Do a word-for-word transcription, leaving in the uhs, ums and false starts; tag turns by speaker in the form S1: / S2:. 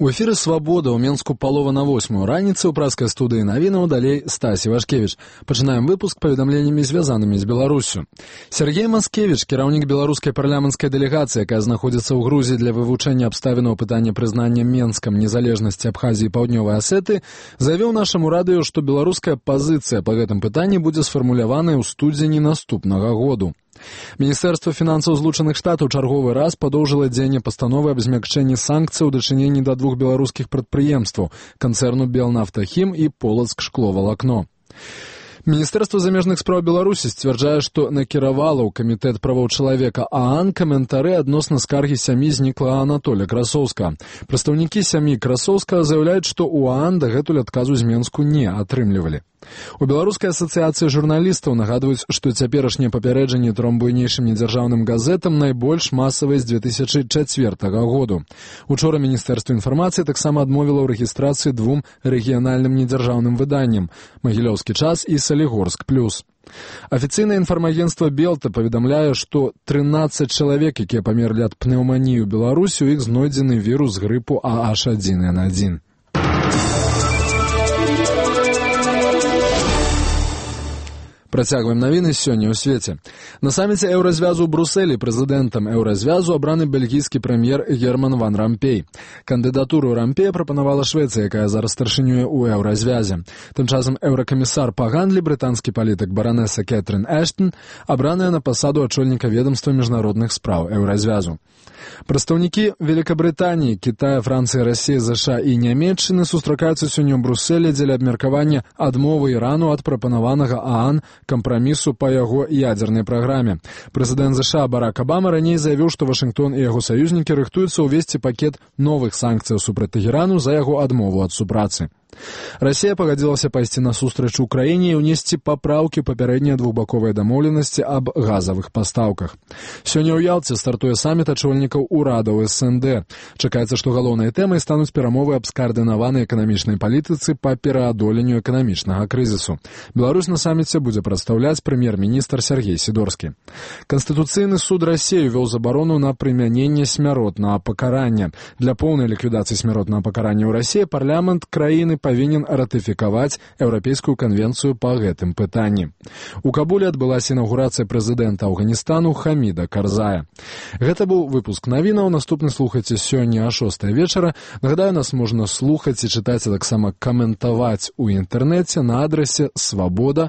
S1: У эфіры «Свабода» ў Менску палова на восьмую раніцы ў праскай студыі навінаў, далей Стасі Вашкевіч. Пачынаем выпуск паведамленнямі, звязанымі з Беларуссю. Сергей Маскевіч, кіраўнік беларускай парламенцкай дэлегацыі, якая знаходзіцца ў Грузіі для вывучэння абставінаў пытання прызнання Менскам незалежнасці Абхазіі і Паўднёвай Асеты, заявіў нашаму радыё, што беларуская пазіцыя па гэтым пытанні будзе сфармуляваная ў студзені наступнага году. Міністэрства фінансаў Злучаных Штатаў чарговы раз падоўжыла дзеянне пастановы аб змякчэнні санкцый у дачыненні да двух беларускіх прадпрыемстваў – канцэрну «Белнафтахім» і «Полацк-шкловалакно». Міністэрства замежных спраў Беларусі сцвярджае, што накіравала ў камітэт правоў чалавека ААН каментары адносна скаргі сям'і зніклага Анатолія Красоўскага. Прадстаўнікі сям'і Красоўскага заяўляюць, што ў ААН дагэтуль адказу з Менску не атрымлівалі. У Беларускай асацыяцыі журналістаў нагадваюць, што цяперашнія папярэджанні тром буйнейшым недзяржаўным газетам найбольш масавыя з дзве тысячы чацвёртага году. Учора Міністэрства інфармацыі таксама адмовіла ў рэгістрацыі двум рэгіянальным недзяржаўным выданням – «Магілёўскі час» і «Салігорск плюс». Афіцыйнае інфармагенцтва «Белта» паведамляе, што трынаццаць чалавек, якія памерлі ад пнеўманіі ў Беларусі, у іх знойдзены вірус грыпу А Аш адзін эн адзін. Працягваем навіны сёння ў свеце. На саміце еўразвязу ў Брусэлі прэзідэнтам еўразвязу абраны бельгійскі прэм'ер Герман ван Рампей. Кандыдатуру Рампея прапанавала Швецыя, якая зараз старшынюе ў еўразвязе. Тым часам еўракамісар па гандлі, брытанскі палітык баранеса Кэтрин Эштон, абраная на пасаду ачольніка ведамства міжнародных спраў еўразвязу. Прадстаўнікі Великабрытаніі, Кітая, Францыі, Расіі, ЗША і Нямецчыны сустракаюцца сёння ў Брусэлі дзеля абмеркавання адмовы Ірану ад прапанаванага ААН кампрамісу па яго ядзернай праграме. Прэзідэнт ЗША Барак Абама раней заявіў, што Вашынгтон і яго саюзнікі рыхтуюцца ўвесці пакет новых санкцыяў супраць Тэхерану за яго адмову ад супрацы. Расія пагадзілася пайсці насустрач Украіне і ўнесці папраўкі ў папярэднія двухбаковыя дамоўленасці аб газавых пастаўках. Сёння ў Ялце стартуе саміт ачольнікаў урадаў эс эн дэ. Чакаецца, што галоўнай тэмай стануць перамовы аб скаардынаванай эканамічнай палітыцы па пераадоленню эканамічнага крызісу. Беларусь на саміце будзе прадстаўляць прэм'ер-міністр Сергей Сідорскі. Канстытуцыйны суд Расіі вёў забарону на прымяненне смяротнага пакарання. Для поўнай ліквідацыі смяротнага пакарання ў Расіі парламент краіны павінен ратыфікаваць Еўрапейскую канвенцыю па гэтым пытанні. У Кабуле адбылася інаўгурацыя прэзідэнта Афганістану Хаміда Карзая. Гэта быў выпуск навінаў. Наступны слухайце сёння а шостай вечара. Нагадаю, нас можна слухаць і чытаць, а таксама каментаваць у інтэрнэце на адрасе свабода